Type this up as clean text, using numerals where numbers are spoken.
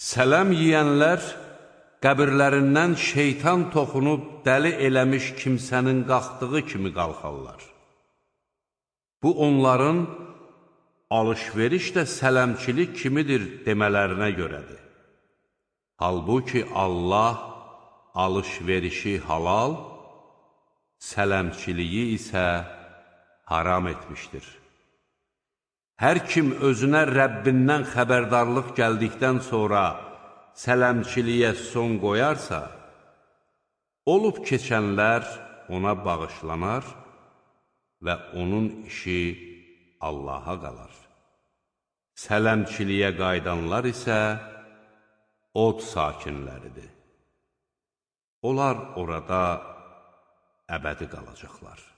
Sələm yiyənlər qəbirlərindən şeytan toxunub dəli eləmiş kimsənin qalxdığı kimi qalxarlar. Bu, onların alış-veriş də sələmçilik kimidir demələrinə görədir. Halbuki Allah alış-verişi halal, sələmçiliyi isə haram etmişdir. Hər kim özünə Rəbbindən xəbərdarlıq gəldikdən sonra sələmçiliyə son qoyarsa, olub keçənlər ona bağışlanar və onun işi Allaha qalar. Sələmçiliyə qaydanlar isə od sakinləridir. Onlar orada əbədi qalacaqlar.